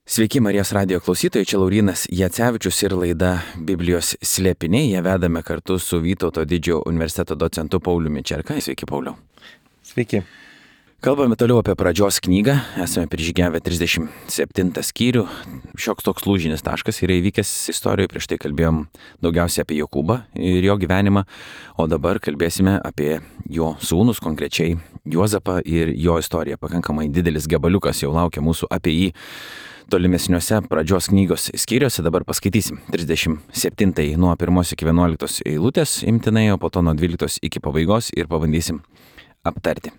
Sveiki Marijos radijo klausytojai, čia Laurynas Jacevičius ir laida Biblijos slėpiniai. Ją vedame kartu su Vytauto didžiojo universiteto docentu Pauliumi Čerka. Sveiki, Pauliau. Sveiki. Kalbame toliau apie pradžios knygą. Esame prižygiavę 37 skyrių. Šioks toks lūžinis taškas yra įvykęs istorijoje. Prieš tai kalbėjom daugiausiai apie Jokūbą ir jo gyvenimą, o dabar kalbėsime apie jo sūnus, konkrečiai Juozapą ir jo istoriją. Pakankamai didelis gabaliukas jau laukia mūsų apie jį tolimesniuose pradžios knygos skyriuose. Dabar paskaitysim 37 nuo 1 iki 11 eilutės imtinai, o po to nuo 12 iki pabaigos ir pabandysim aptarti.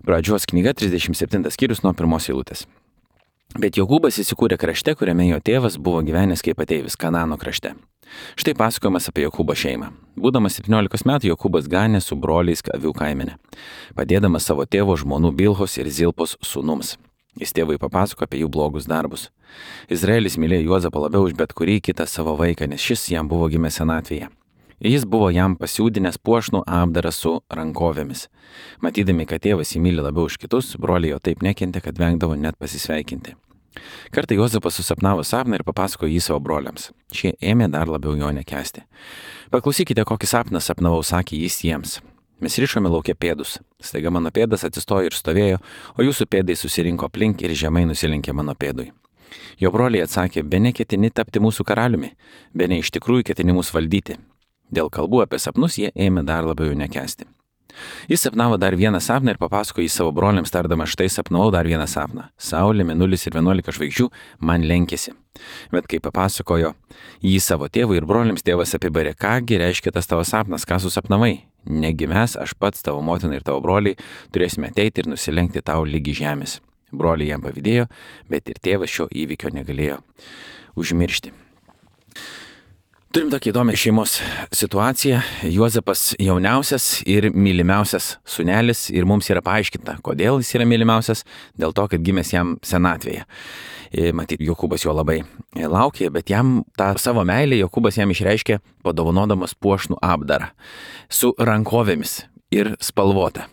Pradžios knyga 37 skyrius nuo 1 eilutės. Bet Jokūbas įsikūrė krašte, kuriame jo tėvas buvo gyvenęs kaip ateivis Kanano krašte. Štai pasakojimas apie Jokūbo šeimą. Būdamas 17 metų Jokūbas ganė su broliais avių kaimene, padėdamas savo tėvo žmonų Bilhos ir Zilpos sūnums. Jis tėvui papasako apie jų blogus darbus. Izraelis mylėjo Juozapą labiau už bet kurį kitą savo vaiką, nes šis jam buvo gimęs senatvėje. Jis buvo jam pasiūdinęs puošnų apdarą su rankovėmis. Matydami, kad tėvas jį myli labiau už kitus, broliai jo taip nekentė, kad vengdavo net pasisveikinti. Kartą Juozapas susapnavo sapną ir papasakojo jį savo broliams. Šie ėmė dar labiau jo nekęsti. Paklausykite, kokį sapną sapnavau, sakė jis jiems. Mes rišome laukia pėdus. Staiga mano pėdas atsistojo ir stovėjo, o jūsų pėdai susirinko aplink ir žemai nusilenkė mano pėdui. Jo broliai atsakė, bene ketini tapti mūsų karaliumi, bene iš tikrųjų ketini mus valdyti. Dėl kalbų apie sapnus jie ėmė dar labiau jų nekęsti. Jis sapnavo dar vieną sapną ir papasakojo jį savo broliams, tardama, štai sapnavau dar vieną sapną. Saulė, mėnulis ir 11 žvaigždžių man lenkėsi. Bet kai papasakojo jį savo tėvui ir broliams, tėvas apibarė, kągi reiškia tas tavo sapnas, ką susapnavai. Negi mes, aš pats, tavo motina ir tavo broliai, turėsime ateiti ir nusilenkti tau lygi žemės. Broliai jam pavydėjo, bet ir tėvas šio įvykio negalėjo užmiršti. Turim tokį įdomią šeimos situaciją. Juozapas jauniausias ir mylimiausias sūnelis ir mums yra paaiškinta, kodėl jis yra mylimiausias, dėl to, kad gimęs jam senatvėje. Matyt, Jokūbas jo labai laukė, bet jam tą savo meilę Jokūbas jam išreiškė padovanodamas puošnų apdarą su rankovėmis ir spalvota.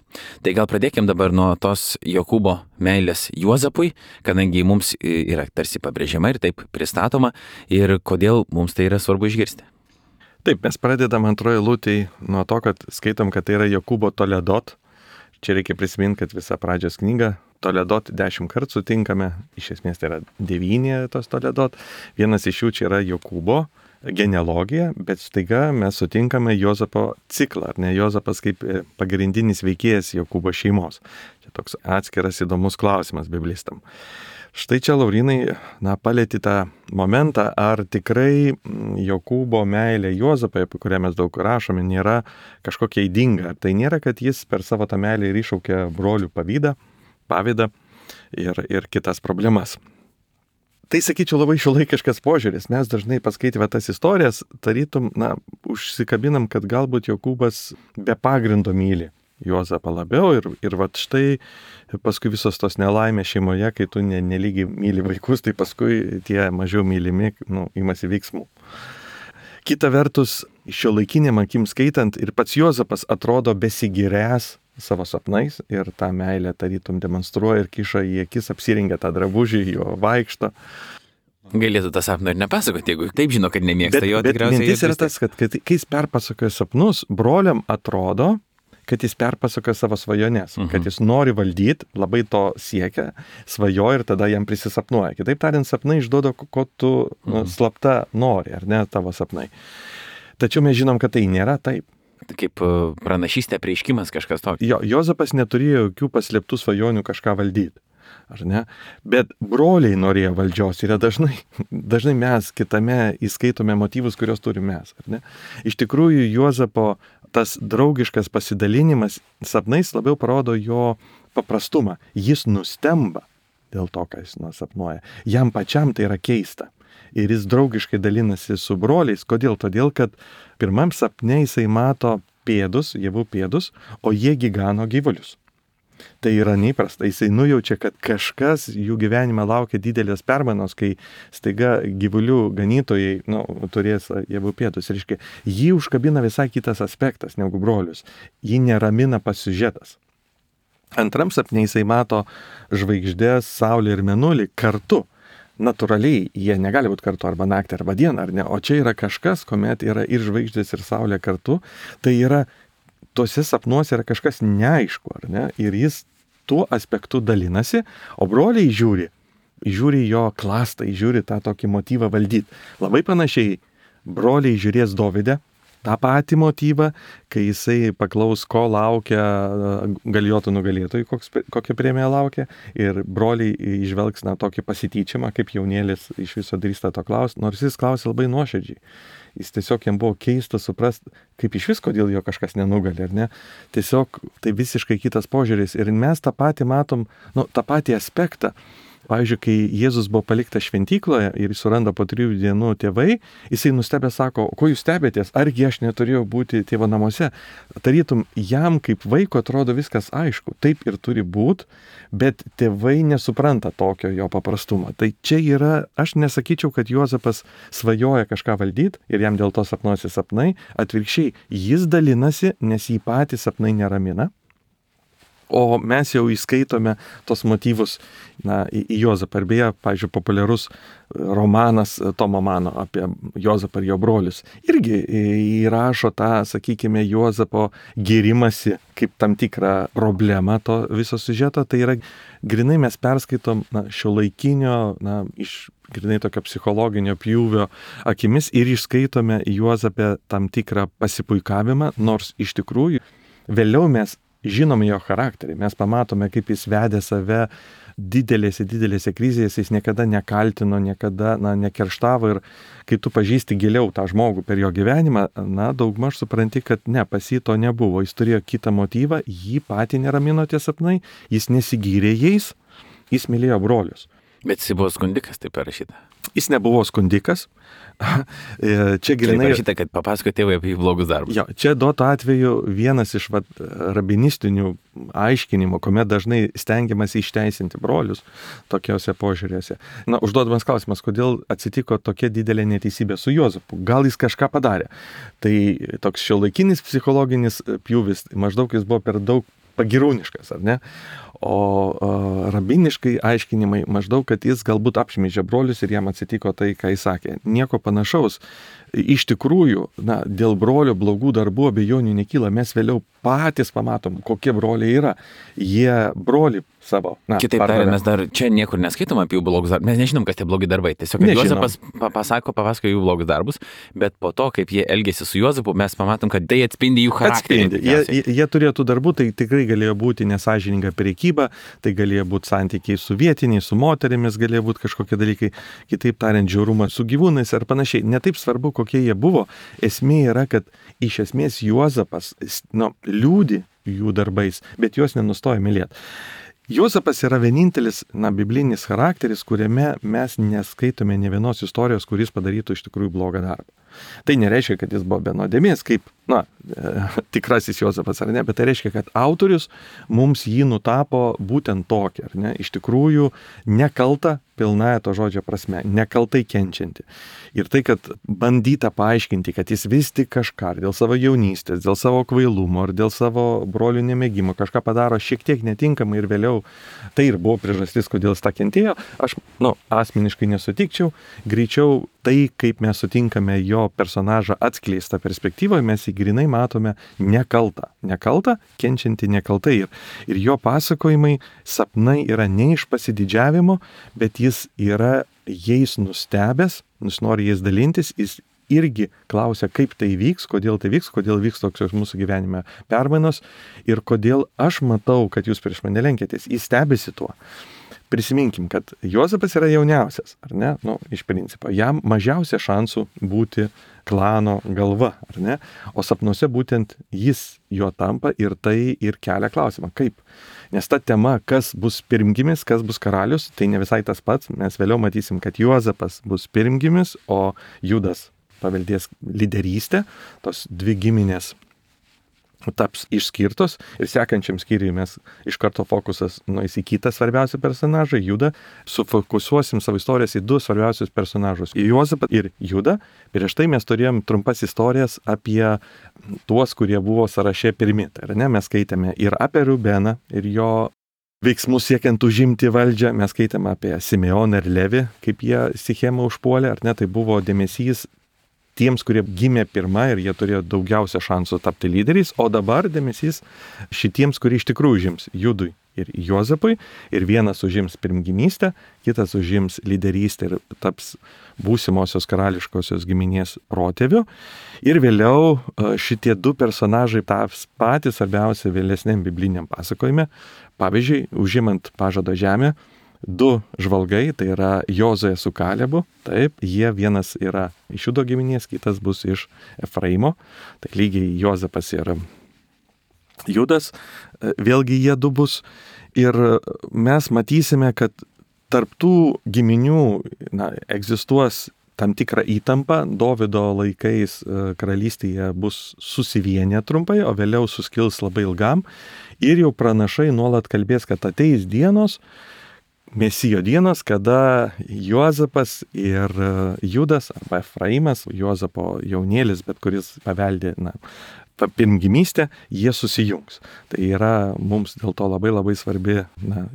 Tai gal pradėkim dabar nuo tos Jokūbo meilės Juozapui, kadangi mums yra tarsi pabrėžiama ir taip pristatoma, ir kodėl mums tai yra svarbu išgirsti. Taip, mes pradedam antroje eilutėje nuo to, kad skaitom, kad tai yra Jokūbo Toledot. Čia reikia prisiminti, kad visą pradžios knygą Toledot 10 kartų sutinkame, iš esmės tai yra 9 tos Toledot. Vienas iš jų čia yra Jokūbo genealogija, bet staiga mes sutinkame Juozapo ciklą, ar ne? Juozapas kaip pagrindinis veikėjas Jokūbo šeimos. Čia toks atskiras įdomus klausimas biblistam. Štai čia, Laurynai, palėti tą momentą, ar tikrai Jokūbo meilė Juozapai, apie kurią mes daug rašome, nėra kažkokia ydinga. Tai nėra, kad jis per savo tą meilę ir iššaukė brolių pavydą ir kitas problemas. Tai, sakyčiau, labai šiuolaikiškas požiūris. Mes dažnai paskaitėme tas istorijas, tarytum, užsikabinam, kad galbūt Jokūbas be pagrindo myli Juozapą labiau ir vat štai paskui visos tos nelaimės šeimoje, kai tu nelygiai myli vaikus, tai paskui tie mažiau mylimi imasi veiksmų. Kita vertus, šiuolaikiniam akim skaitant, ir pats Juozapas atrodo besigiręs savo sapnais ir tą meilę tarytum demonstruoja ir kiša į akis, apsirengia tą drabužį, jo vaikšto. Galėtų tą sapną ir nepasakoti, jeigu taip žino, kad nemėgsta jo tikriausiai. Bet mintis yra tas, kad kai jis perpasakoja sapnus, broliam atrodo, kad jis perpasakoja savo svajones, kad jis nori valdyti, labai to siekia, svajoja ir tada jam prisisapnuoja. Kitaip tariant, sapnai išduoda, ko tu slapta nori, ar ne, tavo sapnai. Tačiau mes žinom, kad tai nėra taip. Kaip pranašystė, prieiškimas kažkas tokio. Jozapas neturėjo jokių paslėptų svajonių kažką valdyti, ar ne? Bet broliai norėjo valdžios ir dažnai mes kitame įskaitome motyvus, kuriuos turime mes, ar ne? Iš tikrųjų, Juozapo tas draugiškas pasidalinimas sapnais labiau parodo jo paprastumą. Jis nustemba dėl to, ką jis sapnuoja. Jam pačiam tai yra keista. Ir jis draugiškai dalinasi su broliais. Kodėl? Todėl, kad pirmam sapne jisai mato pėdus, javų pėdus, o jie gano gyvulius. Tai yra neįprasta. Jisai nujaučia, kad kažkas jų gyvenime laukia didelės permainos, kai staiga gyvulių ganytojai turės javų pėdus. Reiškia, jį užkabina visai kitas aspektas negu brolius. Jį neramina pats siužetas. Antram sapne jisai mato žvaigždės, saulę ir mėnulį kartu. natūraliai jie negali būti kartu arba naktį, arba dieną, ar ne? O čia yra kažkas, kuomet yra ir žvaigždės, ir saulė kartu. Tai yra, tuose sapnuose yra kažkas neaišku, ar ne? Ir jis tuo aspektu dalinasi, o broliai žiūri jo klastą, žiūri tą tokį motyvą valdyti. Labai panašiai broliai žiūrės Dovide tą patį motyvą, kai jisai paklaus, ko laukia Galijotų nugalėtojų, kokią premiją laukia, ir broliai išvelgs tokį pasityčiamą, kaip jaunėlis iš viso drįsta to klausti, nors jis klausė labai nuoširdžiai. Jis tiesiog jam buvo keista suprasti, kaip iš vis, kodėl jo kažkas nenugali, ar ne? Tiesiog tai visiškai kitas požiūris. Ir mes tą patį matom, tą patį aspektą. Pavyzdžiui, kai Jėzus buvo paliktas šventykloje ir jis suranda po 3 dienų tėvai, jisai nustebė sako, ko jūs stebėtės, argi aš neturėjau būti tėvo namuose. Tarytum, jam kaip vaiko atrodo viskas aišku, taip ir turi būti, bet tėvai nesupranta tokio jo paprastumo. Tai čia yra, aš nesakyčiau, kad Juozapas svajoja kažką valdyti ir jam dėl to sapnuosi sapnai, atvirkščiai, jis dalinasi, nes jį patys sapnai neramina. O mes jau įskaitome tos motyvus į Juozapą. Ir beje, pavyzdžiui, populiarus romanas Tomo Mano apie Juozapą ir jo brolius irgi įrašo tą, sakykime, Juozapo gėrimasi kaip tam tikrą problemą to viso siužeto. Tai yra, grinai mes perskaitom šiuolaikinio, iš grinai tokio psichologinio pjūvio akimis ir išskaitome Juozapę tam tikrą pasipuikavimą, nors iš tikrųjų vėliau mes žinome jo charakterį, mes pamatome, kaip jis vedė save didelėse krizėse, jis niekada nekaltino, niekada nekerštavo, ir kai tu pažįsti giliau tą žmogų per jo gyvenimą, daugmaž supranti, kad ne, pas jį to nebuvo, jis turėjo kitą motyvą, jį patį neramino tie sapnai, jis nesigyrė jais, jis mylėjo brolius. Bet jis buvo skundikas, taip parašyta. Jis nebuvo skundikas. Čia grinai parašyta, kad papasakojo tėvai apie jų blogus darbus. Jo, čia duoto atveju vienas iš rabinistinių aiškinimų, kuomet dažnai stengiamas išteisinti brolius tokiuose požiūrėse. Užduodamas klausimas, kodėl atsitiko tokia didelė neteisybė su Juozapu? Gal jis kažką padarė? Tai toks šiuolaikinis psichologinis pjūvis, maždaug jis buvo per daug pagirūniškas, ar ne? O rabiniškai aiškinimai maždaug, kad jis galbūt apšmeižė brolius ir jam atsitiko tai, ką jis sakė. Nieko panašaus. Iš tikrųjų, dėl brolio blogų darbų abejonių nekyla. Mes vėliau patys pamatom, kokie broliai yra. Jie broli savo. Kitaip tariant, mes dar čia niekur neskaitom apie jų blogus darbus. Mes nežinom, kas tie blogi darbai. Tiesiog Juozapas papasakojo jų blogus darbus, bet po to, kaip jie elgėsi su Juozapu, mes pamatom, kad tai atspindi jų charakterį. Jie turėjo tų darbų, tai tikrai galėjo būti nesąžininga prekyba, tai galėjo būti santykiai su vietiniais, su moterimis, galėjo būti kažkokie dalykai, kitaip tariant, žiaurumas su gyvūnais ar panašiai. Netaip svarbu, kokie jie buvo. Esmė yra, kad iš esmės Juozapas liūdi jų darbais, bet juos nenustoja mylėti. Juozapas yra vienintelis biblinis charakteris, kuriame mes neskaitome ne vienos istorijos, kuris padarytų iš tikrųjų blogą darbą. Tai nereiškia, kad jis buvo be nuodėmės, kaip tikrasis Juozapas, ar ne, bet tai reiškia, kad autorius mums jį nutapo būtent tokį, ar ne, iš tikrųjų nekaltą pilnąja to žodžio prasme, nekaltai kenčianti. Ir tai, kad bandyta paaiškinti, kad jis vis tik kažką dėl savo jaunystės, dėl savo kvailumo ar dėl savo brolių nemėgimo kažką padaro šiek tiek netinkamai ir vėliau tai ir buvo priežastis, kodėl jis tą kentėjo, aš asmeniškai nesutikčiau. Greičiau tai, kaip mes sutinkame jo personažą atskleistą perspektyvoje, mes jį grinai matome nekaltą, kenčiantį nekaltai. Ir jo pasakojimai, sapnai yra ne iš pasididžiavimo, bet jis yra jais nustebęs, nori jais dalintis, jis irgi klausia, kaip tai vyks, kodėl vyks tokios mūsų gyvenime permainos ir kodėl aš matau, kad jūs prieš mane lenkėtės. Jis stebisi tuo. Prisiminkim, kad Juozapas yra jauniausias, ar ne? Iš principo, jam mažiausia šansų būti klano galva, ar ne? O sapnuose būtent jis jo tampa ir tai ir kelia klausimą, kaip? Nes ta tema, kas bus pirmgimis, kas bus karalius, tai ne visai tas pats. Mes vėliau matysim, kad Juozapas bus pirmgimis, o Judas paveldės lyderystę, tos dvi giminės taps išskirtos ir sekančiam skyriui mes iš karto fokusas nueis į kitą svarbiausią personažą, Judą. Sufokusuosim savo istorijas į 2 svarbiausius personažus, į Juozapą ir Judą. Prieš tai mes turėjom trumpas istorijas apie tuos, kurie buvo sąraše pirmi. Tai yra, mes skaitėme ir apie Rubeną ir jo veiksmus siekiant užimti valdžią. Mes skaitėme apie Simeoną ir Levį, kaip jie Sichemą užpuolė, ar ne, tai buvo dėmesys tiems, kurie gimė pirmą ir jie turėjo daugiausia šansų tapti lyderiais, o dabar dėmesys šitiems, kurie iš tikrųjų užims Judui ir Juozapui, ir vienas užims pirmgimystę, kitas užims lyderystę ir taps būsimosios karališkosios giminės protėviu. Ir vėliau šitie du personažai taps patys svarbiausia vėlesniam bibliniam pasakojime. Pavyzdžiui, užimant pažado žemę, du žvalgai, tai yra Jozuė su Kalebu, taip, jie vienas yra iš Judo giminės, kitas bus iš Efraimo, tai lygiai Juozapas ir Judas, vėlgi jie du bus. Ir mes matysime, kad tarptų giminių egzistuos tam tikrą įtampą. Dovydo laikais karalystėje bus susivienę trumpai, o vėliau suskils labai ilgam. Ir jau pranašai nuolat kalbės, kad ateis dienos, Mesijo dienos, kada Juozapas ir Judas arba Efraimas, Juozapo jaunėlis, bet kuris paveldė pirmgimystę, jie susijungs. Tai yra mums dėl to labai labai svarbi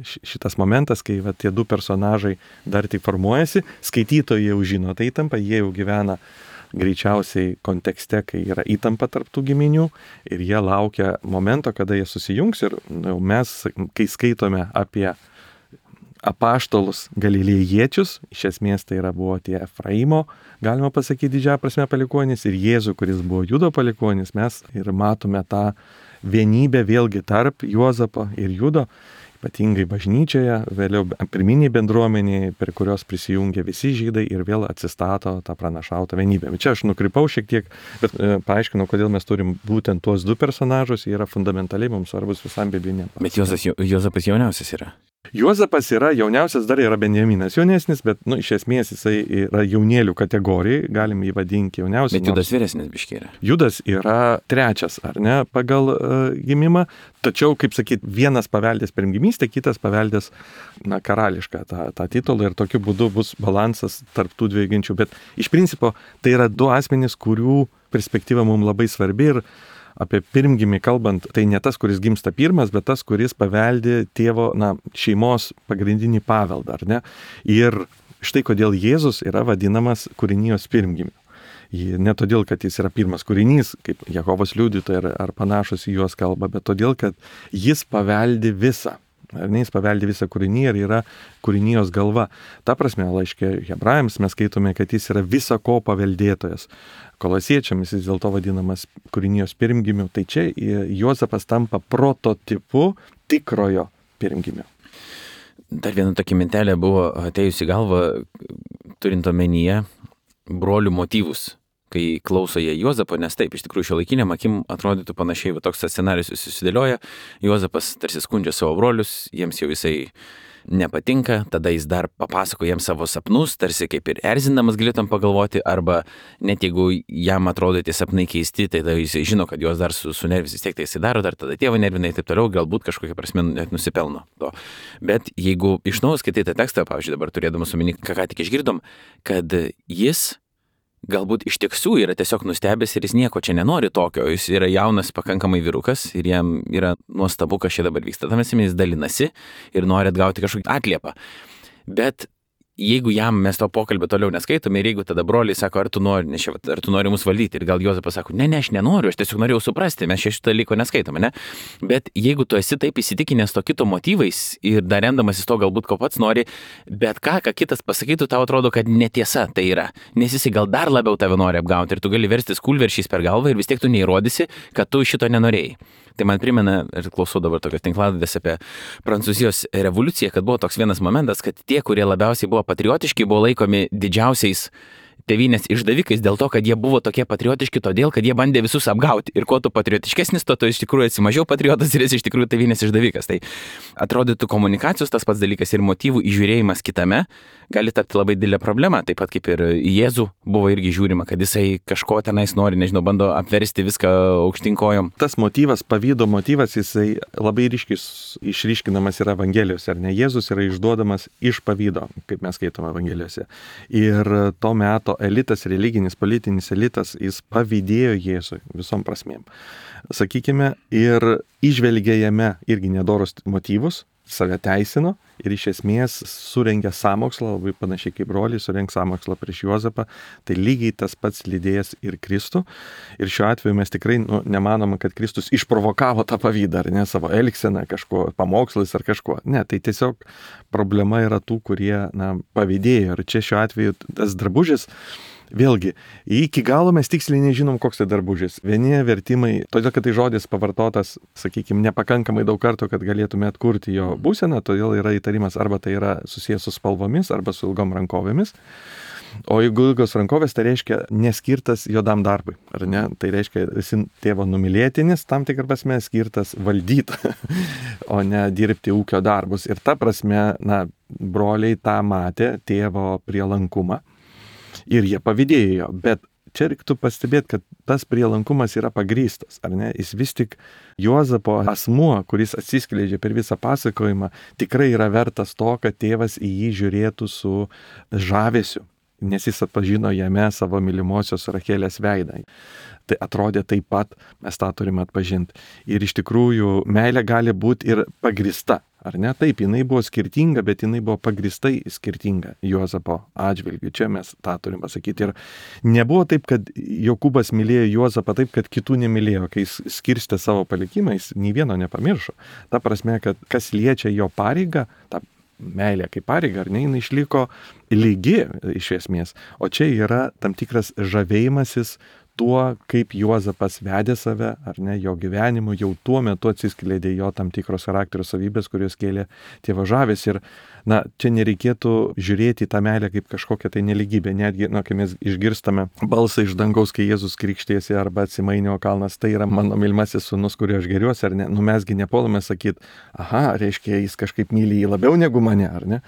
šitas momentas, kai tie du personažai dar tik formuojasi, skaitytojai jau žino tą įtampą, jie jau gyvena greičiausiai kontekste, kai yra įtampa tarp tų giminių ir jie laukia momento, kada jie susijungs ir mes, kai skaitome apie apaštalus galilėjiečius, iš esmės tai buvo tie Efraimo, galima pasakyti didžiąją prasme palikuonis, ir Jėzų, kuris buvo Judo palikuonis, mes ir matome tą vienybę vėlgi tarp Juozapo ir Judo, ypatingai bažnyčioje, vėliau pirminiai bendruomeniai, per kurios prisijungia visi žydai ir vėl atsistato tą pranašautą vienybę. Bet čia aš nukrypau šiek tiek, bet paaiškinau, kodėl mes turim būtent tuos du personažus, jie yra fundamentaliai mums svarbus visam bibliniam. Bet Juozapas jauniausias yra. Juozapas yra jauniausias, dar yra Benjaminas jaunesnis, bet iš esmės jisai yra jaunėlių kategorijai, galim jį vadinti jauniausias. Bet Judas vyresnis biškiai yra. Judas yra trečias, ar ne, pagal gimimą, tačiau, kaip sakyt, vienas paveldės pirmgimystę, kitas paveldės karališką tą titulą ir tokiu būdu bus balansas tarp tų dviejų ginčių. Bet iš principo tai yra du asmenys, kurių perspektyva mums labai svarbi ir apie pirmgimį kalbant, tai ne tas, kuris gimsta pirmas, bet tas, kuris paveldi tėvo, šeimos pagrindinį paveldą, ar ne? Ir štai kodėl Jėzus yra vadinamas kūrinijos pirmgimiu. Ne todėl, kad jis yra pirmas kūrinys, kaip Jehovos liudytojai ar panašus į juos kalba, bet todėl, kad jis paveldi visą. Ar ne, jis paveldi visą kūrinį ir yra kūrinijos galva. Ta prasme, laiške Hebrajams mes skaitome, kad jis yra visa ko paveldėtojas. Kolosiečiams jis dėl to vadinamas kūrinijos pirmgimiu. Tai čia Juozapas tampa prototipu tikrojo pirmgimio. Dar viena tokia mintelė buvo atėjusi galva, turint omenyje brolių motyvus, kai klauso jie Juozapo, nes taip, iš tikrųjų šiuolaikiniam akim atrodytų panašiai, toks scenarijus susidėlioja, Juozapas tarsi skundžia savo brolius, jiems jau jisai nepatinka, tada jis dar papasako jiems savo sapnus, tarsi kaip ir erzindamas galėtum pagalvoti, arba net jeigu jam atrodo tie sapnai keisti, tai tada jisai žino, kad juos dar sunervis, vis tiek tai jisai daro, dar tada tėvą nervina ir taip toliau, galbūt kažkokia prasme net nusipelno to. Bet jeigu iš naujo skaitai tą tekstą, pavyzdžiui, dabar turėdamas omeny, ką tik išgirdom, kad jis galbūt iš tiesų yra tiesiog nustebęs ir jis nieko čia nenori tokio, jis yra jaunas pakankamai vyrukas ir jam yra nuostabu, kas čia dabar vyksta. Tam jis dalinasi ir nori atgauti kažkokį atliepą. Bet jeigu jam mes to pokalbio toliau neskaitome ir jeigu tada broliai sako, ar tu nori mus valdyti, ir gal Juozapas sako, ne, aš nenoriu, aš tiesiog norėjau suprasti, mes šito dalyko neskaitome, ne? Bet jeigu tu esi taip įsitikinęs to kito motyvais ir dar remdamasis to galbūt ko pats nori, bet ką kitas pasakytų, tau atrodo, kad netiesa tai yra, nes jis gal dar labiau tave nori apgauti ir tu gali verstis kūlveršiais per galvą ir vis tiek tu neįrodysi, kad tu šito nenorėjai. Tai man primena, ir klausau dabar tokios tinklalaidės apie Prancūzijos revoliuciją, kad buvo toks vienas momentas, kad tie, kurie labiausiai buvo patriotiški, buvo laikomi didžiausiais tėvynės išdavikais dėl to, kad jie buvo tokie patriotiški, todėl, kad jie bandė visus apgauti. Ir kuo tu patriotiškesnis, to tu iš tikrųjų esi mažiau patriotas ir esi iš tikrųjų tėvynės išdavikas. Tai atrodytų komunikacijos tas pats dalykas ir motyvų įžiūrėjimas kitame gali tapti labai didelė problema. Taip pat kaip ir į Jėzų buvo irgi žiūrima, kad jisai kažko tenais nori, bando apversti viską aukštyn kojom. Tas motyvas, pavydo motyvas, jisai labai išryškinamas yra Evangelijose, ar ne? Jėzus yra išduodamas iš pavydo, kaip mes skaitome Evangelijose. Ir to meto elitas, religinis, politinis elitas, jis pavydėjo Jėzui visom prasmėm. Sakykime, ir įžvelgė jame irgi nedorus motyvus, save teisino ir iš esmės surengė sąmokslą, labai panašiai kaip broliai surengs sąmokslą prieš Juozapą, tai lygiai tas pats lydėjęs ir Kristų. Ir šiuo atveju mes tikrai nemanome, kad Kristus išprovokavo tą pavydą, ar ne, savo elgseną, kažko, pamokslais ar kažkuo. Ne, tai tiesiog problema yra tų, kurie pavydėjo. Ir čia šiuo atveju tas drabužis, vėlgi, iki galo mes tiksliai nežinom, koks tai drabužis. Vieni vertimai, todėl kad tai žodis pavartotas, sakykime, nepakankamai daug kartų, kad galėtume atkurti jo būseną, todėl yra įtarimas arba tai yra susijęs su spalvomis, arba su ilgom rankovėmis. O jeigu ilgos rankovės, tai reiškia neskirtas juodam darbui, ar ne? Tai reiškia esi tėvo numylėtinis, tam tikrą prasme skirtas valdyti, o ne dirbti ūkio darbus. Ir ta prasme, broliai tą matė, tėvo prielankumą. Ir jie pavydėjo, bet čia reiktų pastebėti, kad tas prielankumas yra pagrįstas, ar ne? Jis vis tik Juozapo asmuo, kuris atsiskleidžia per visą pasakojimą, tikrai yra vertas to, kad tėvas į jį žiūrėtų su žavesiu, nes jis atpažino jame savo mylimosios Rachelės veidą. Tai atrodė taip pat, mes tą turime atpažinti. Ir iš tikrųjų meilė gali būti ir pagrįsta. Ar ne? Taip, jinai buvo skirtinga, bet jinai buvo pagristai skirtinga Juozapo atžvilgiu. Čia mes tą turim pasakyti. Ir nebuvo taip, kad Jokūbas mylėjo Juozapą taip, kad kitų nemylėjo. Kai jis skirstė savo palikimą, jis nei vieno nepamiršo. Ta prasme, kad kas liečia jo pareigą, ta meilė kaip pareiga, ar ne, jinai išliko lygi iš esmės. O čia yra tam tikras žavėjimasis tuo, kaip Juozapas vedė save, ar ne, jo gyvenimu, jau tuo metu atsiskleidė jo tam tikros charakterio savybės, kurios kėlė tėvo žavės. Ir, čia nereikėtų žiūrėti į tą meilę kaip kažkokią tai neligybę. Netgi, kai mes išgirstame balsą iš dangaus, kai Jėzus krikštėsi arba Atsimainio kalnas, tai yra mano mylimasis sūnus, kuriuo aš geriuosi, ar ne, mesgi nepuolame sakyti, reiškia, jis kažkaip myli jį labiau negu mane, ar ne.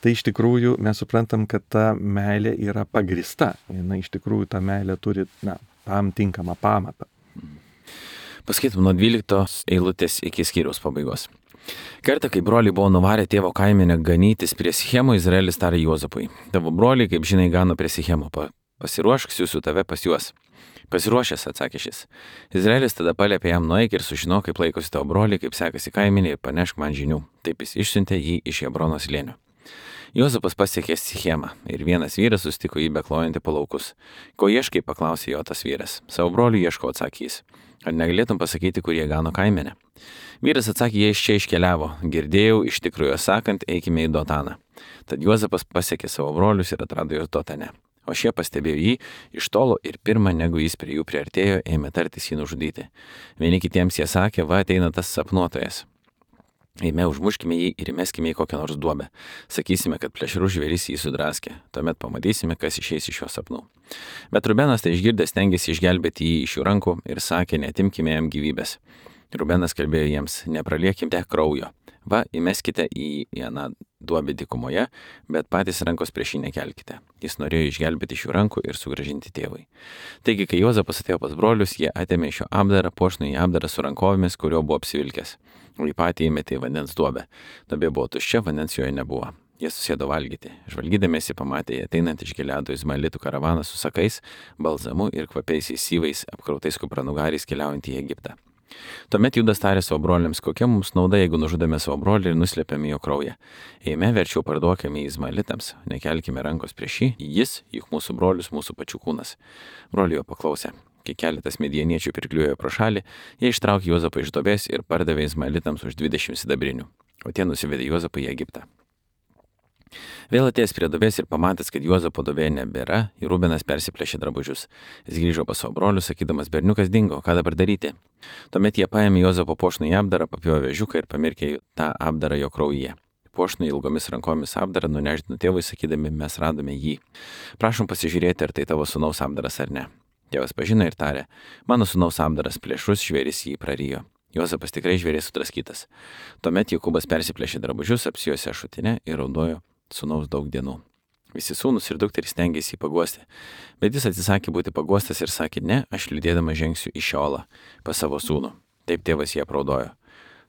Tai iš tikrųjų mes suprantam, kad ta meilė yra pagrįsta. Iš tikrųjų ta meilė turi, tam tinkamą pamatą. Paskaitom nuo 12 eilutės iki skyriaus pabaigos. Kartą, kai broliai buvo nuvarę tėvo kaimenę ganytis prie Sichemo, Izraelis tarė Juozapui: tavo broliai, kaip žinai, gano prie Sichemo, pasiruošk, siųsiu tave pas juos. Pasiruošęs, atsakė šis. Izraelis tada paliepė jam: nueik ir sužinok, kaip laikosi tavo broliai, kaip sekasi kaimenė, ir panešk man žinių. Taip jis išsiuntė jį iš Hebrono slėnio. Juozapas pasiekė Sichemą ir vienas vyras sustiko jį beklojantį po laukus. Ko ieškai, paklausė jo tas vyras. Savo brolių ieško, atsakė jis. Ar negalėtum pasakyti, kur jie gano kaimenę? Vyras atsakė: jie iš čia iškeliavo. Girdėjau, iš tikrųjų sakant, eikime į Dotaną. Tad Juozapas pasiekė savo brolius ir atrado juos Dotane. O šie pastebėjo jį iš tolo ir pirmą, negu jis prie jų priartėjo, ėmė tartis jį nužudyti. Vieni kitiems jie sakė: va, ateina tas sapnuotojas. Eime, užmuškime jį ir įmeskime į kokią nors duobę. Sakysime, kad plėšrų žvėris jį sudraskė. Tuomet pamatysime, kas išeis iš jo sapnų. Bet Rubenas tai išgirdęs stengėsi išgelbėti jį iš jų rankų ir sakė: neatimkime jam gyvybės. Rubenas kalbėjo jiems: nepraliekite kraujo. Va, įmeskite į aną duobę dykumoje, bet patys rankos prieš jį nekelkite. Jis norėjo išgelbėti iš jų rankų ir sugrąžinti tėvui. Taigi, kai Juozapas atėjo pas brolius, jie atėmė iš jo apdarą, puošnųjį apdarą su rankovėmis, kurio buvo apsivilkęs. Į patį įmetė į vandens duobę. Duobė buvo tuščia, vandens joje nebuvo. Jie susėdo valgyti. Žvalgydamiesi pamatė jį ateinant iš Gileado izmaelitų karavaną su sakais, balzamu ir kvapiaisiais syvais, apkrautais kupranugariais keliaujant į Egiptą. Tuomet Judas tarė savo broliams: kokia mums nauda, jeigu nužudome savo brolį ir nuslėpėme jo kraują? Eime, verčiau parduokime izmaelitams, nekelkime rankos prieš jį, jis, juk mūsų brolius, mūsų pačių kūnas. Broliai jo paklausė. Kai keletas midjaniečių pirkliuojo pro šalį, jie ištraukė Juozapą iš duobės ir pardavė izmaelitams už 20 sidabrinių, o tie nusivedė Juozapą į Egiptą. Vėl atėjęs prie duobės ir pamatęs, kad Juozapo duobėje nebėra, Rubenas persiplėšė drabužius. Jis grįžo pas savo brolius, sakydamas: berniukas dingo, ką dabar daryti? Tuomet jie paėmė Juozapo puošnųjį apdarą, papjovė ežiuką ir pamirkė tą apdarą jo kraujyje. Puošnųjį ilgomis rankomis apdarą nunešdino tėvui, sakydami: mes radome jį. Prašom pasižiūrėti, ar tai tavo sūnaus apdaras ar ne. Tėvas pažino ir tarė: mano sūnaus apdaras, plėšrus žvėris jį prarijo. Juozapas tikrai žvėris sudraskytas. Tuomet Jokūbas persiplėšė drabužius, apsijuosė šutinę ir raudojo sūnaus daug dienų. Visi sūnus ir dukterys stengėsi jį paguosti, bet jis atsisakė būti paguostas ir sakė: ne, aš lydėdamas žengsiu į Šiolą pas savo sūnų. Taip tėvas jį apraudojo.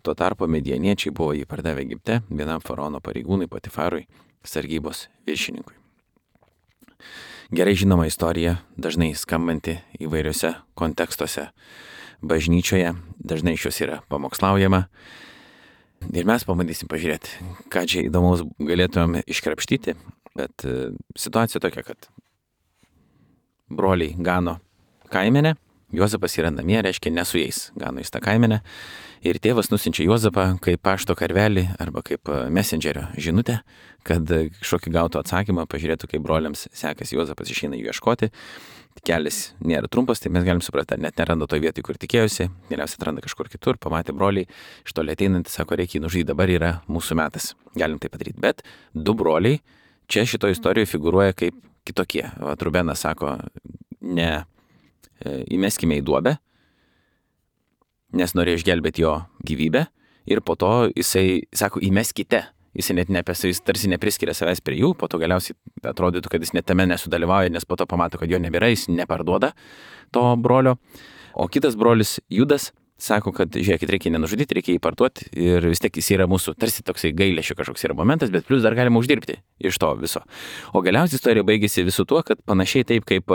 Tuo tarpu midjaniečiai buvo jį pardavę Egipte vienam faraono pareigūnui Potifarui, sargybos viršininkui. Gerai žinoma istorija, dažnai skambanti įvairiuose kontekstuose. Bažnyčioje dažnai iš jos yra pamokslaujama. Ir mes pabandysim pažiūrėti, ką čia įdomaus galėtumėm iškrapštyti, bet situacija tokia, kad broliai gano kaimenę, Juozapas yra namie, reiškia ne su jais, gano jis tą kaimenę, ir tėvas nusinčia Juozapą kaip pašto karvelį arba kaip messengerio žinutę, kad kažkokį gautų atsakymą, pažiūrėtų, kaip broliams sekasi. Juozapas išeina jų ieškoti, kelias nėra trumpas, tai mes galim suprasti, net neranda toje vietoje, kur tikėjusi, galiausiai atranda kažkur kitur, pamatė broliai, iš toli ateinantį, sako, reikia jį nužudyti, dabar yra mūsų metas, galim tai padaryti. Bet du broliai čia šitoje istorijoje figūruoja kaip kitokie. Rubenas sako, ne įmeskime į duobę, nes norėjo išgelbėti jo gyvybę, ir po to jisai sako, įmeskite. Jisai net jis tarsi nepriskiria savęs prie jų, po to galiausiai atrodytų, kad jis net tame nesudalyvauja, nes po to pamato, kad jo nebėra, jis neparduoda to brolio. O kitas brolis Judas sako, kad žiūrėkit, reikia nenužudyti, reikia jį parduoti, ir vis tiek jis yra mūsų tarsi toksai gailesčio kažkoks yra momentas, bet plus dar galima uždirbti iš to viso. O galiausiai istorija baigėsi visu tuo, kad panašiai taip kaip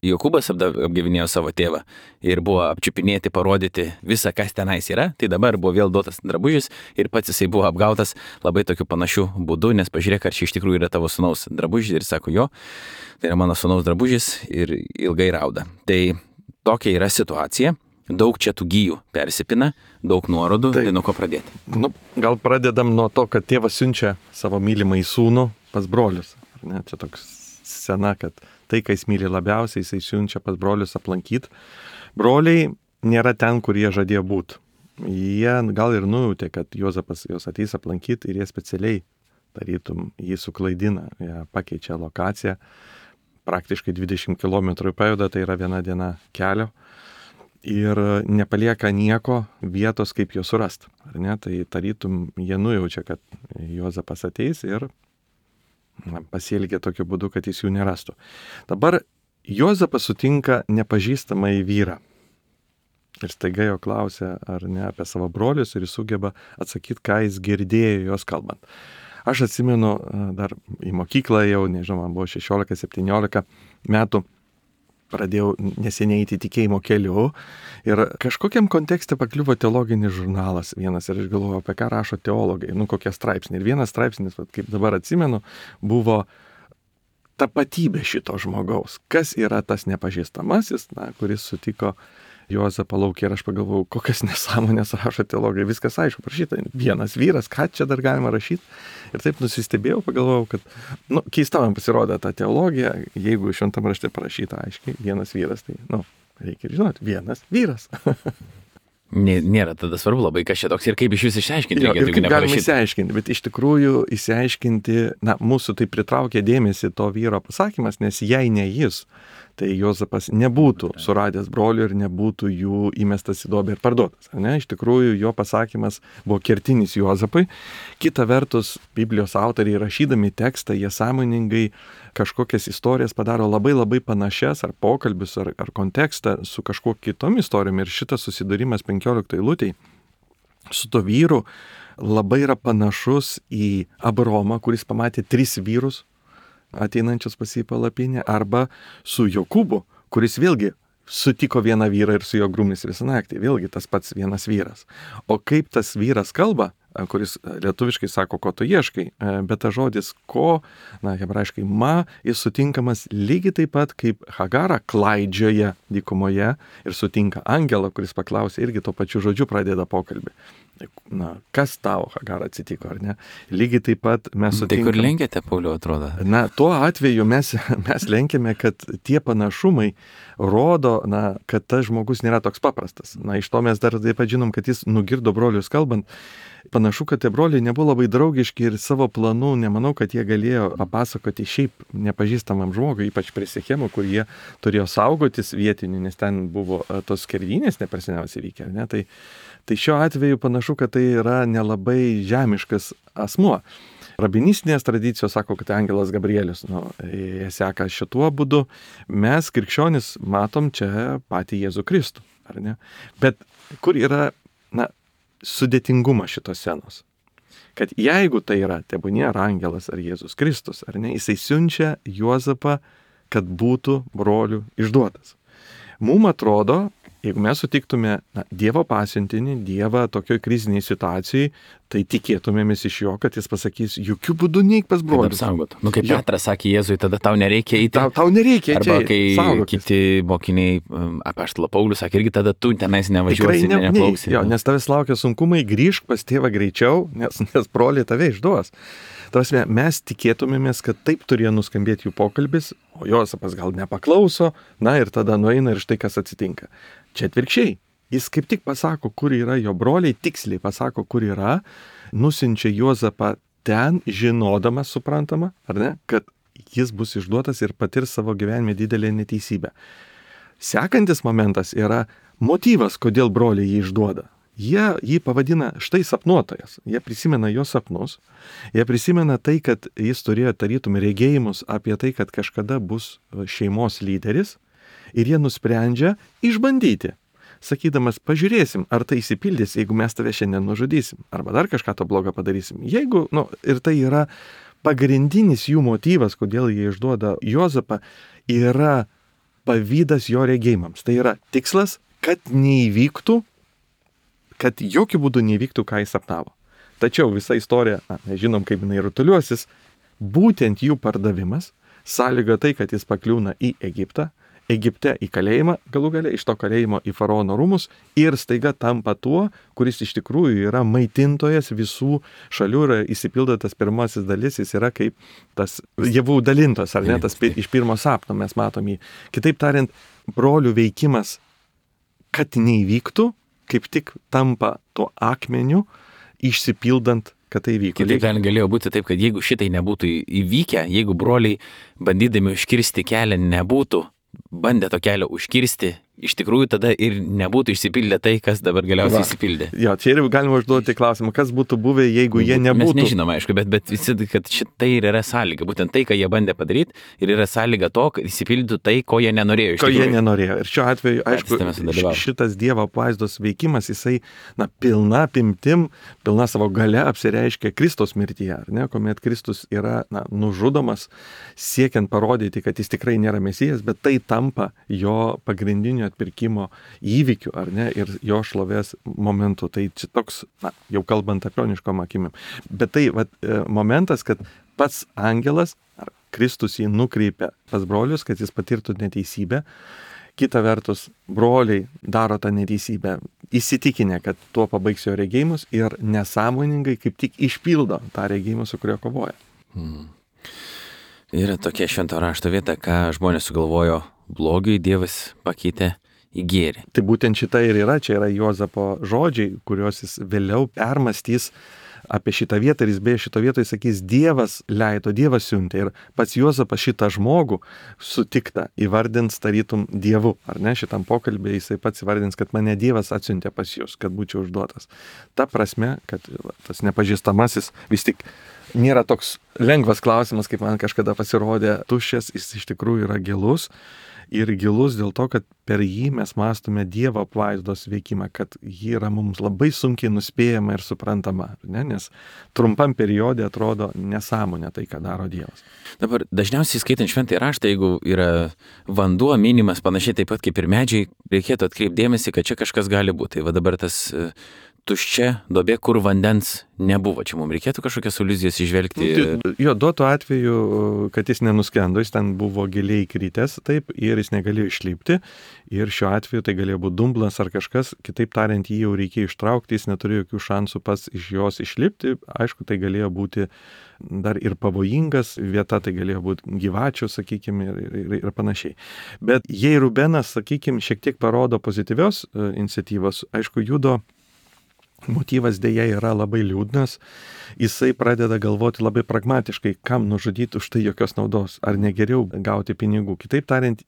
Jokūbas apgavinėjo savo tėvą ir buvo apčiupinėti, parodyti visą, kas tenais yra, tai dabar buvo vėl duotas drabužis ir pats jisai buvo apgautas labai tokiu panašiu būdu, nes pažiūrėk, ar čia iš tikrųjų yra tavo sūnaus drabužis, ir sako, jo, tai yra mano sūnaus drabužis, ir ilgai rauda. Tai tokia yra situacija, daug čia tų gijų persipina, daug nuorodų, tai nuo ko pradėti? Gal pradedam nuo to, kad tėvas siunčia savo mylimą į sūnų pas brolius. Ne, čia toks scena, kad tai, ką jis myli labiausiai, jisai siunčia pas brolius aplankyti. Broliai nėra ten, kur jie žadėjo būti. Jie gal ir nujautė, kad Juozapas jos ateis aplankyti, ir jie specialiai, tarytum, jį suklaidina, jie pakeičia lokaciją, praktiškai 20 km pajuda, tai yra viena diena kelio, ir nepalieka nieko vietos, kaip jo surasti. Ar ne? Tai tarytum, jie nujaučia, kad Juozapas ateis ir pasielgia tokiu būdu, kad jis jų nerastų. Dabar Juozapas sutinka nepažįstamą į vyrą. Ir staiga jo klausia, ar ne, apie savo brolius, ir jis sugeba atsakyti, ką jis girdėjo jos kalbant. Aš atsimenu, dar į mokyklą jau, nežinau, man buvo 16-17 metų, pradėjau neseniai eiti tikėjimo keliu, ir kažkokiam kontekste pakliuvo teologinis žurnalas vienas, ir aš galvoju, apie ką rašo teologai, kokie straipsniai. Ir vienas straipsnis, kaip dabar atsimenu, buvo tapatybė šito žmogaus. Kas yra tas nepažįstamasis, kuris sutiko Juozapą lauke, ir aš pagalvojau, kokias nesąmonės rašo teologai, viskas aišku, parašyta, vienas vyras, ką čia dar galima rašyti. Ir taip nusistebėjau, pagalvojau, kad keista man pasirodė ta teologija, jeigu šventam rašte parašyta aiškiai, vienas vyras, tai, reikia žinoti, vienas vyras. Nėra tada svarbu labai, kas čia toks ir kaip iš vis išsiaiškinti. Ir kaip galima išsiaiškinti, bet iš tikrųjų išsiaiškinti, mūsų tai pritraukė dėmesį to vyro pasakymas, nes jei ne jis, tai Juozapas nebūtų suradęs brolių ir nebūtų jų įmestas į duobę ir parduotas. Ne? Iš tikrųjų, jo pasakymas buvo kertinis Juozapui. Kita vertus, Biblijos autoriai rašydami tekstą, jie sąmoningai kažkokias istorijas padaro labai labai panašias, ar pokalbius, ar kontekstą su kažkuo kitom istorijom. Ir šitas susidūrimas 15 eilutėj su to vyru labai yra panašus į Abromą, kuris pamatė 3 vyrus ateinančius pas jį palapinę, arba su Jokūbu, kuris vėlgi sutiko vieną vyrą ir su juo grūmėsi visą naktį. Vėlgi tas pats vienas vyras. O kaip tas vyras kalba, kuris lietuviškai sako, ko tu ieškai, bet tas žodis ko, hebrajiškai ma, jis sutinkamas lygiai taip pat, kaip Hagara klaidžioja dykumoje ir sutinka angelą, kuris paklausė, irgi to pačiu žodžiu pradeda pokalbį. Kas tau, Hagara, atsitiko, ar ne? Lygiai taip pat mes sutinkame. Tai kur lenkiate, Pauliau, atrodo? Tuo atveju mes lenkiame, kad tie panašumai rodo, kad tas žmogus nėra toks paprastas. Iš to mes dar taip pat žinom, kad jis nugirdo brolius kalbant. Panašu, kad tie broliai nebuvo labai draugiški ir savo planų nemanau, kad jie galėjo papasakoti šiaip nepažįstamam žmogui, ypač prie Sichemo, kur jie turėjo saugotis vietinių, nes ten buvo tos skerdynės neprasiniausiai vykę. Ne? Tai šiuo atveju panašu, kad tai yra nelabai žemiškas asmuo. Rabinistinės tradicijos sako, kad angelas Gabrielius, jie seka šituo būdu. Mes, krikščionis, matom čia patį Jėzų Kristų, ar ne? Bet kur yra, sudėtingumas šitos scenos? Kad jeigu tai yra, tebūnie ar angelas, ar Jėzus Kristus, ar ne, jisai siunčia Juozapą, kad būtų brolių išduotas. Mums atrodo, jeigu mes sutiktume Dievo pasiuntinį, Dievą tokioj kriziniai situacijai, tai tikėtumėmės iš jo, kad jis pasakys, jokių būdų neik pas brolius. Kaip Petras sakė Jėzui, tada tau nereikia eiti. Tau nereikia eiti. Arba kai kiti mokiniai, apaštalo Paulius sakė, irgi tada tu tenais nevažiuosi, neplauksi. Jo, nes tavęs laukia sunkumai, grįžk pas tėvą greičiau, nes broliai tave išduos. Tarsi mes tikėtumėmės, kad taip turėjo nuskambėti jų pokalbis, o Jozapas gal nepaklauso, ir tada nueina ir štai kas atsitinka. Čia atvirkščiai. Jis kaip tik pasako, kur yra jo broliai, tiksliai pasako, kur yra, nusinčia Jozapą ten, žinodamas, suprantama, ar ne, kad jis bus išduotas ir patirs savo gyvenime didelę neteisybę. Sekantis momentas yra motyvas, kodėl broliai jį išduoda. Jie jį pavadina štai sapnuotojas. Jie prisimena jo sapnus. Jie prisimena tai, kad jis turėjo tarytum regėjimus apie tai, kad kažkada bus šeimos lyderis. Ir jie nusprendžia išbandyti. Sakydamas, pažiūrėsim, ar tai įsipildys, jeigu mes tave šiandien nužudysim. Arba dar kažką to blogo padarysim. Jeigu, ir tai yra pagrindinis jų motyvas, kodėl jie išduoda Jozapą, yra pavydas jo regėjimams. Tai yra tikslas, kad neįvyktų, kad jokių būdų neįvyktų, ką jis sapnavo. Tačiau visa istorija, nežinom, kaip jinai rutuliuosis, būtent jų pardavimas sąlyga tai, kad jis pakliūna į Egiptą, Egipte į kalėjimą, galų gale iš to kalėjimo į faraono rūmus ir staiga tampa tuo, kuris iš tikrųjų yra maitintojas visų šalių ir įsipildo tas pirmasis dalis, jis yra kaip tas javų dalintos, ar ne, tas iš pirmo sapno mes matom jį. Kitaip tariant, brolių veikimas, kad neįvyktų, kaip tik tampa tuo akmeniu, išsipildant, kad tai vyko. Kitaip galėjo būti taip, kad jeigu šitai nebūtų įvykę, jeigu broliai bandydami užkirsti kelią nebūtų bandę to kelio užkirsti, iš tikrųjų tada ir nebūtų išsipildę tai, kas dabar galiausiai išsipildė. Jo, čia ir galima užduoti klausimą, kas būtų buvę, jeigu jie nebūtų. Mes nežinome, aišku, bet visi, kad šitai ir yra sąlyga. Būtent tai, ką jie bandė padaryti, ir yra sąlyga to, kad išsipildytų tai, ko jie nenorėjo. Ko jie nenorėjo. Ir šiuo atveju, aišku, šitas Dievo apvaizdos veikimas, jisai, pilna apimtim, pilna savo gale apsireiškia Kristaus mirtyje, ar ne, kuomet Kristus yra, nužudomas, siekiant parodyti, kad jis tikrai nėra Mesijas, bet tai tampa jo pagrindiniu atpirkimo įvykių, ar ne, ir jo šlovės momentų. Tai čia toks, jau kalbant apioniškom akimim. Bet tai momentas, kad pats angelas, ar Kristus jį nukreipia pas brolius, kad jis patirtų neteisybę. Kita vertus, broliai daro tą neteisybę, įsitikinę, kad tuo pabaigs jo regėjimus ir nesąmoningai kaip tik išpildo tą regėjimą, su kurio kovoja. Yra tokia švento rašto vieta, ką žmonės sugalvojo blogiui, Dievas pakeitė į gėrį. Tai būtent šita ir yra, čia yra Jozapo žodžiai, kuriuos jis vėliau permastys apie šitą vietą ir jis beje šito vietoje sakys, Dievas leido, Dievas siuntė ir pats Jozapas šitą žmogų sutiktą įvardins tarytum Dievu, ar ne, šitam pokalbė jisai pats įvardins, kad mane Dievas atsiuntė pas jūs, kad būčiau užduotas. Ta prasme, kad tas nepažįstamasis vis tik nėra toks lengvas klausimas, kaip man kažkada pasirodė tuščias, jis iš tikrųjų yra gilus. Ir gilus dėl to, kad per jį mes mąstome Dievo apvaizdos veikimą, kad ji yra mums labai sunkiai nuspėjama ir suprantama, ne? Nes trumpam periode atrodo nesąmonė tai, ką daro Dievas. Dabar dažniausiai skaitant šventąjį raštą, jeigu yra vanduo minimas panašiai taip pat kaip ir medžiai, reikėtų atkreipti dėmesį, kad čia kažkas gali būti. Tai va dabar tas tuščia duobė, kur vandens nebuvo. Čia mums reikėtų kažkokias aliuzijas išvelgti. Jo, duotų atveju, kad jis nenuskendo, jis ten buvo giliai kritęs, taip, ir jis negalėjo išlipti. Ir šiuo atveju tai galėjo būti dumblas ar kažkas, kitaip tariant, jį jau reikėjo ištraukti, jis neturėjo jokių šansų pats iš jos išlipti. Aišku, tai galėjo būti dar ir pavojingas vieta, tai galėjo būti gyvačių, sakykime, ir panašiai. Bet jei Rubenas, sakykime, šiek tiek parodo pozityvios iniciatyvos, aišku, Judo motyvas dėja yra labai liūdnas, jisai pradeda galvoti labai pragmatiškai, kam nužudyti už tai jokios naudos, ar negeriau gauti pinigų. Kitaip tariant,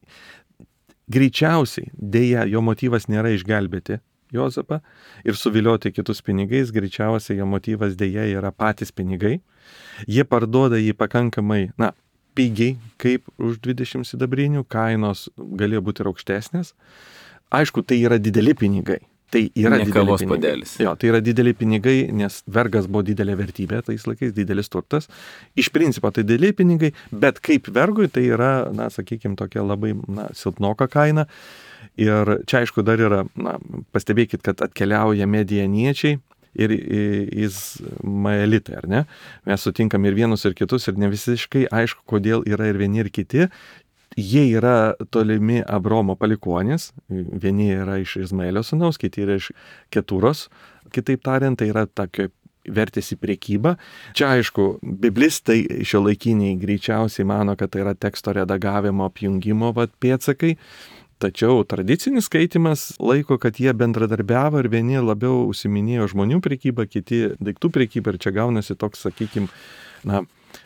greičiausiai dėja jo motyvas nėra išgelbėti Jozapą ir suvilioti kitus pinigais, greičiausiai jo motyvas dėja yra patys pinigai. Jie parduoda jį pakankamai, pigiai, kaip už 20 sidabrinių, kainos galėjo būti ir aukštesnės. Aišku, tai yra dideli pinigai. Tai yra kavos puodelis. Jo, tai yra dideli pinigai, nes vergas buvo didelė vertybė, tais laikais didelis turtas. Iš principo tai dideli pinigai, bet kaip vergui tai yra, sakykime, tokia labai silpnoka kaina. Ir čia aišku dar yra, pastebėkit, kad atkeliauja medianiečiai ir izmaelitai, ar ne? Mes sutinkam ir vienus, ir kitus, ir ne visiškai aišku, kodėl yra ir vieni, ir kiti. Jie yra tolimi Abromo palikuonys, vieni yra iš Izmaelio sūnaus, kiti yra iš Ketūros, kitaip tariant, tai yra tokio vertėsi priekybą. Čia aišku, biblistai šiuolaikiniai greičiausiai mano, kad tai yra teksto redagavimo apjungimo pėdsakai. Tačiau tradicinis skaitimas laiko, kad jie bendradarbiavo ir vieni labiau užsiminėjo žmonių prekybą, kiti daiktų prekybą ir čia gaunasi toks, sakykime,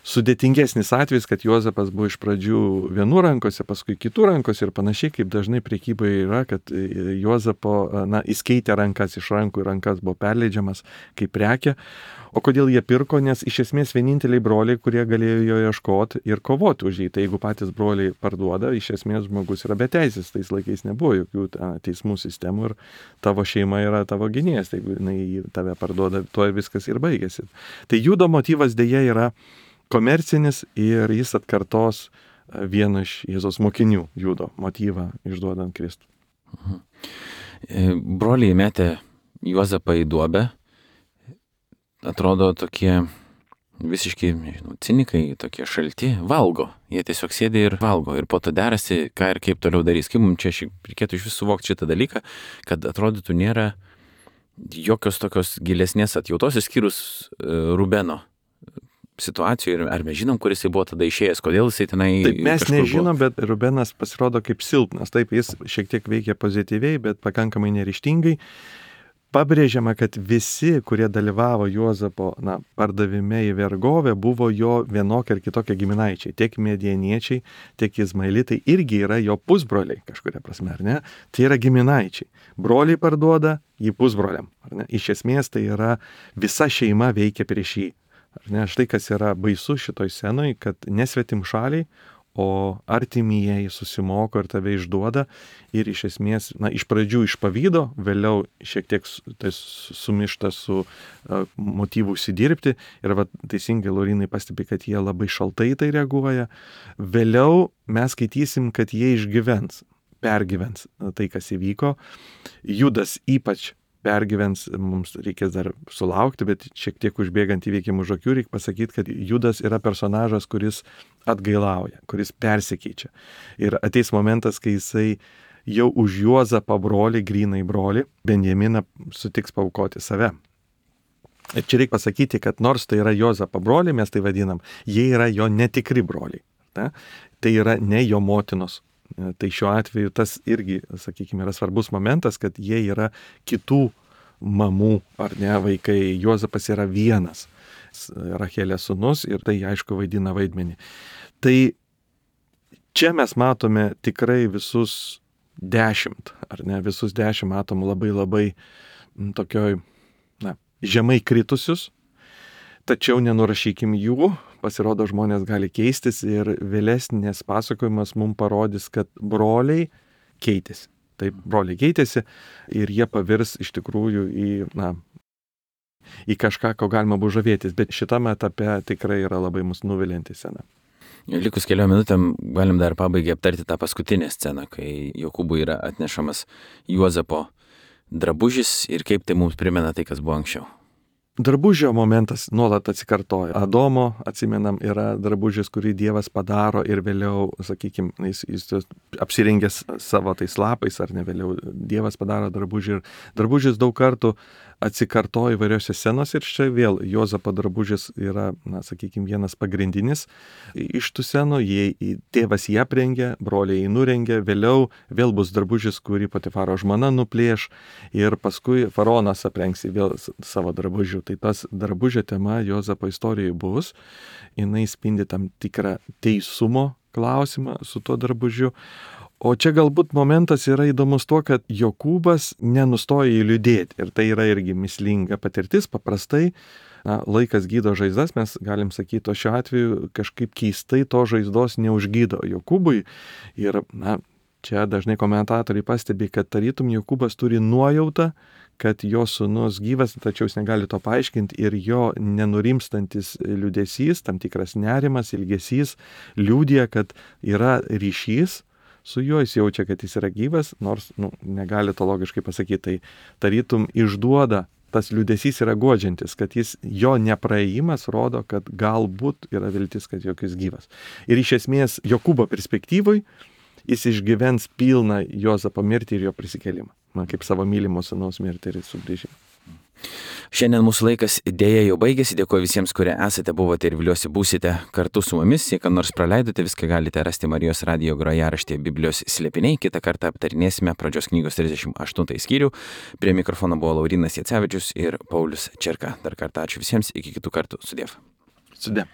sudėtingesnis atvejis, kad Juozapas buvo iš pradžių vienų rankose, paskui kitų rankose ir panašiai, kaip dažnai prekyboje yra, kad Juozapo, jis keitė rankas iš rankų į rankas, buvo perleidžiamas kaip prekė. O kodėl jie pirko? Nes iš esmės vieninteliai broliai, kurie galėjo jo ieškoti ir kovoti už jį. Tai jeigu patys broliai parduoda, iš esmės žmogus yra beteisis. Tais laikais nebuvo jokių teismų sistemų ir tavo šeima yra tavo gynėjas. Tai jeigu jinai tave parduoda, tuo ir viskas ir baigėsi. Tai judo motyvas dėja yra komercinis ir jis atkartos vieno iš Jėzaus mokinių judo motyvą išduodant Kristų. Broliai metė Juozapą į duobę. Atrodo tokie visiškai, cinikai, tokie šalti, valgo. Jie tiesiog sėdi ir valgo. Ir po to derasi, ką ir kaip toliau darys. Kaip mums čia reikėtų iš vis suvokti šitą dalyką, kad atrodytų nėra jokios tokios gilesnės atjautos, išskyrus Rubeno situacijų. Ir ar mes žinom, kuris jis buvo tada išėjęs, kodėl jisai tenai... Taip, mes nežinom, bet Rubenas pasirodo kaip silpnas. Taip, jis šiek tiek veikia pozityviai, bet pakankamai neryžtingai. Pabrėžiama, kad visi, kurie dalyvavo Juozapo pardavime į vergovę, buvo jo vienokie ar kitokie giminaičiai. Tiek medieniečiai, tiek izmaelitai irgi yra jo pusbroliai kažkuria prasme, ar ne? Tai yra giminaičiai. Broliai parduoda jį pusbroliam, ar ne? Iš esmės tai yra visa šeima veikia prieš jį. Ar ne? Štai kas yra baisu šitoj scenoj, kad nesvetim šaliai, o artimieji susimoko ir tave išduoda ir iš esmės, iš pradžių iš pavydo, vėliau šiek tiek tai sumišta su motyvu užsidirbti ir teisingai Laurinai pastebi, kad jie labai šaltai tai reaguoja. Vėliau mes skaitysim, kad jie išgyvens, pergyvens tai, kas įvyko. Judas ypač pergyvens, mums reikės dar sulaukti, bet šiek tiek užbėgant įvykiam už akių, reikia pasakyti, kad Judas yra personažas, kuris atgailauja, kuris persikeičia. Ir ateis momentas, kai jisai jau už Juozapą brolį, grynai brolį, Benjaminą sutiks paaukoti save. Ir čia reikia pasakyti, kad nors tai yra Juozapo broliai, mes tai vadinam, jie yra jo netikri broliai. Ne? Tai yra ne jo motinos. Tai šiuo atveju tas irgi, sakykime, yra svarbus momentas, kad jie yra kitų mamų ar ne vaikai. Juozapas yra vienas Rachelės sūnus ir tai aišku vaidina vaidmenį. Tai čia mes matome tikrai visus 10, ar ne, visus 10 matom labai tokioj, žemai kritusius, tačiau nenurašykim jų. Pasirodo, žmonės gali keistis ir vėlesnės pasakojimas mums parodys, kad broliai keitėsi. Taip, broliai keitėsi ir jie pavirs iš tikrųjų į kažką, ko galima buvo žavėtis. Bet šitame etape tikrai yra labai mus nuvilinti scena. Likus keliom minutėm galim dar pabaigai aptarti tą paskutinę sceną, kai Jokūbui yra atnešamas Juozapo drabužis ir kaip tai mums primena tai, kas buvo anksčiau. Drabužio momentas nuolat atsikartoja. Adomo, atsimenam, yra drabužis, kurį Dievas padaro ir vėliau, sakykime, jis apsirengęs savo tais lapais, ar ne vėliau Dievas padaro drabužį. Ir drabužis daug kartų atsikartoja įvairiose scenose ir čia vėl Juozapo drabužis yra, sakykime, vienas pagrindinis iš tų scenų. Tėvas jį aprengia, broliai jį nurengia, vėliau vėl bus drabužis, kurį Potifaro žmona nuplėš ir paskui faraonas aprengs vėl savo drabužių. Tai tas drabužio tema Juozapo istorijoje bus, jinai spindi tam tikrą teisumo klausimą su tuo drabužiu. O čia galbūt momentas yra įdomus tuo, kad Jokūbas nenustoja jį liūdėti ir tai yra irgi mįslinga patirtis. Paprastai laikas gydo žaizdas, mes galim sakyti, o šiuo atveju kažkaip keistai to žaizdos neužgydo Jokūbui. Ir čia dažnai komentatoriai pastebi, kad tarytum Jokūbas turi nuojautą, kad jo sūnus gyvas, tačiau jis negali to paaiškinti ir jo nenurimstantis liūdesys, tam tikras nerimas, ilgesys liūdija, kad yra ryšys su juo, jis jaučia, kad jis yra gyvas, nors negali to logiškai pasakyti, tai tarytum išduoda, tas liūdesys yra guodžiantis, kad jo nepraėjimas rodo, kad galbūt yra viltis, kad jis gyvas. Ir iš esmės Jokūbo perspektyvoj jis išgyvens pilną Juozapo mirtį ir jo prisikėlimą, kaip savo mylimo sūnaus mirtį ir sugrįžimą. Šiandien mūsų laikas dėja jau baigėsi. Dėkuoju visiems, kurie esate, buvote ir viliuosi būsite kartu su mumis. Jei ką nors praleidote, viską galite rasti Marijos radijo grojaraštyje Biblijos slėpiniai. Kitą kartą aptarinėsime Pradžios knygos 38 skyrių. Prie mikrofono buvo Laurynas Jacevičius ir Paulius Čerka. Dar kartą ačiū visiems, iki kitų kartų. Sudiev. Sudiev.